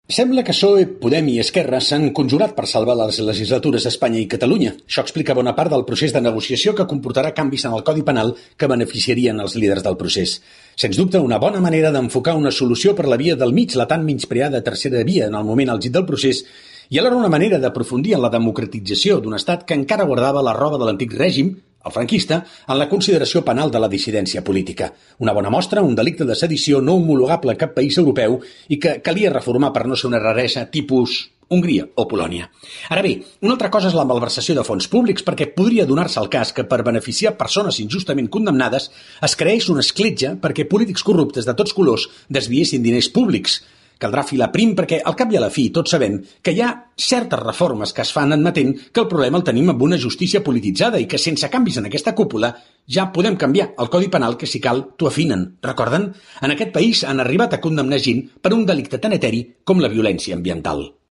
Sembla que PSOE, Podem i Esquerra s'han conjurat per salvar les legislatures a Espanya i Catalunya. Això explica bona part del procés de negociació que comportarà canvis en el Codi Penal que beneficiarien els líders del procés. Sens dubte, una bona manera d'enfocar una solució per la via del mig, la tan menyspreada tercera via en el moment àlgid del procés, i alhora una manera d'aprofundir en la democratització d'un estat que encara guardava la roba de l'antic règim, el franquista, en la consideració penal de la dissidència política. Una bona mostra, un delicte de sedició no homologable a cap país europeu i que calia reformar per no ser una raresa tipus Hongria o Polònia. Ara bé, una altra cosa és la malversació de fons públics, perquè podria donar-se el cas que per beneficiar persones injustament condemnades es creés una escletxa perquè polítics corruptes de tots colors desviessin diners públics. Caldrà filar prim perquè, al cap i a la fi, tots sabem que hi ha certes reformes que es fan admetent que el problema el tenim amb una justícia polititzada i que sense canvis en aquesta cúpula ja podem canviar el Codi Penal que, si cal, t'ho afinen. Recorden? En aquest país han arribat a condemnar gent per un delicte tan eteri com la violència ambiental.